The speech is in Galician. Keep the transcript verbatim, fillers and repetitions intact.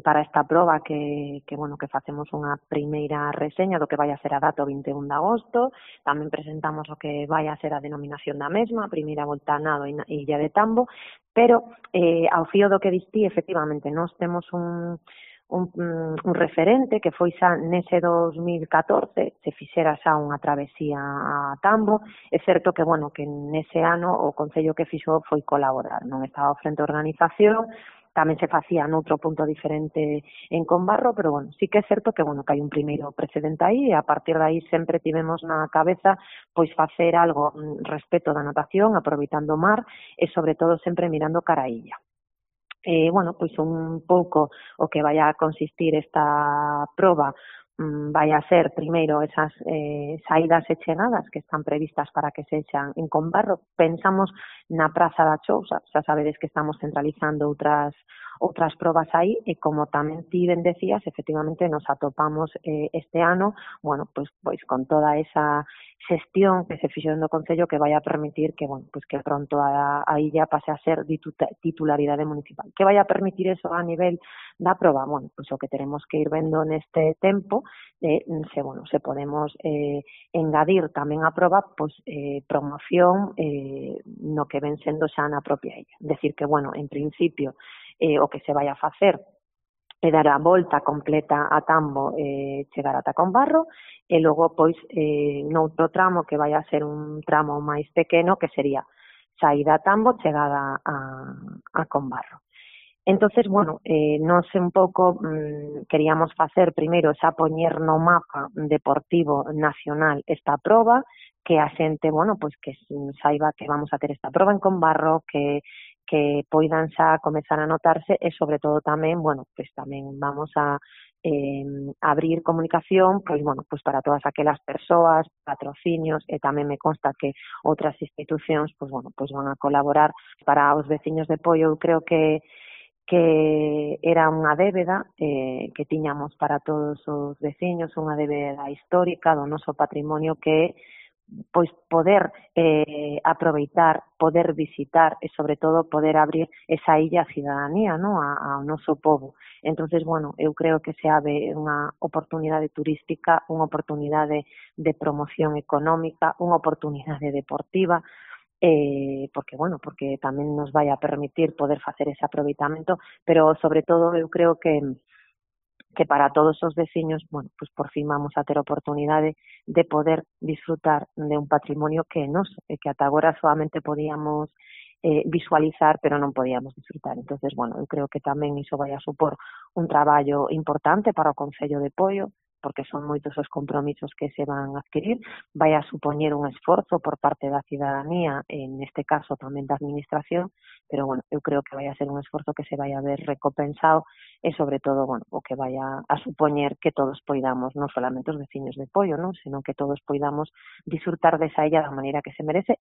para esta proba que, que, bueno, que facemos unha primeira reseña do que vai a ser a data o vinte e un de agosto, tamén presentamos o que vai a ser a denominación da mesma, a primeira volta a nado e Illa de Tambo, pero eh, ao fío do que distí, efectivamente, nós temos un Un, un referente que foi xa nese dos mil catorce, se fixera xa unha travesía a Tambo. É certo que, bueno, que nese ano o Concello que fixo foi colaborar, non estaba ao frente da organización, tamén se facía noutro punto diferente en Combarro, pero, bueno, sí que é certo que, bueno, que hai un primeiro precedente aí, e a partir de aí sempre tivemos na cabeza pois facer algo respecto da natación, aproveitando o mar, e sobre todo sempre mirando cara a illa. Eh, bueno, pois un pouco o que vai a consistir esta proba mm, vai a ser primeiro esas eh, saídas e chegadas que están previstas para que sexan en Combarro. Pensamos na Praza da Chousa, xa sabedes que estamos centralizando outras outras probas aí, e como tamén ti ben decías, efectivamente nos atopamos eh, este ano, bueno, pois, pois con toda esa xestión que se fixo no Concello que vai a permitir que, bueno, pois que pronto a, a illa pase a ser titularidade municipal. Que vai a permitir eso a nivel da proba? Bueno, pois o que teremos que ir vendo neste tempo, eh, se, bueno, se podemos eh, engadir tamén a proba, pois eh, promoción eh, no que ven sendo xa na propia illa. Decir que, bueno, en principio, eh, o que se vai a facer é dar a volta completa a Tambo e eh, chegar ata Combarro, e logo, pois, eh, noutro tramo que vai a ser un tramo máis pequeno, que sería saída a Tambo, chegada a, a Combarro. Entonces, bueno, eh, nós un pouco mmm, queríamos facer primeiro xa poñer no mapa deportivo nacional esta proba, que a xente, bueno, pois que saiba que vamos a ter esta proba en Combarro, que que poidan xa comezar a notarse, e sobre todo tamén, bueno, pois tamén vamos a eh, abrir comunicación, pois bueno, pois para todas aquelas persoas, patrocinios, e tamén me consta que outras institucións, pois bueno, pois van a colaborar para os veciños de Poio. Eu creo que que era unha débeda eh, que tiñamos para todos os veciños, unha débeda histórica do noso patrimonio, que pois poder eh, aproveitar, poder visitar e sobre todo poder abrir esa illa a cidadanía, ¿no? a, ao noso povo. Entonces, bueno, eu creo que se abre unha oportunidade turística, unha oportunidade de promoción económica, unha oportunidade deportiva, eh, porque, bueno, porque tamén nos vai a permitir poder facer ese aproveitamento, pero sobre todo eu creo que que para todos os veciños, bueno, pues por fin vamos a ter oportunidade de poder disfrutar de un patrimonio que é noso, e que ata agora solamente podíamos eh, visualizar, pero non podíamos disfrutar. Entonces, bueno, eu creo que tamén iso vai a supor un traballo importante para o Concello de Poio, porque son moitos os compromisos que se van a adquirir, vai a supoñer un esforzo por parte da cidadanía, en este caso tamén da administración, pero, bueno, eu creo que vai a ser un esforzo que se vai a ver recompensado, e sobre todo, bueno, o que vai a, a supoñer que todos poidamos, non solamente os veciños de Poio, non, senón que todos poidamos disfrutar desa illa da maneira que se merece,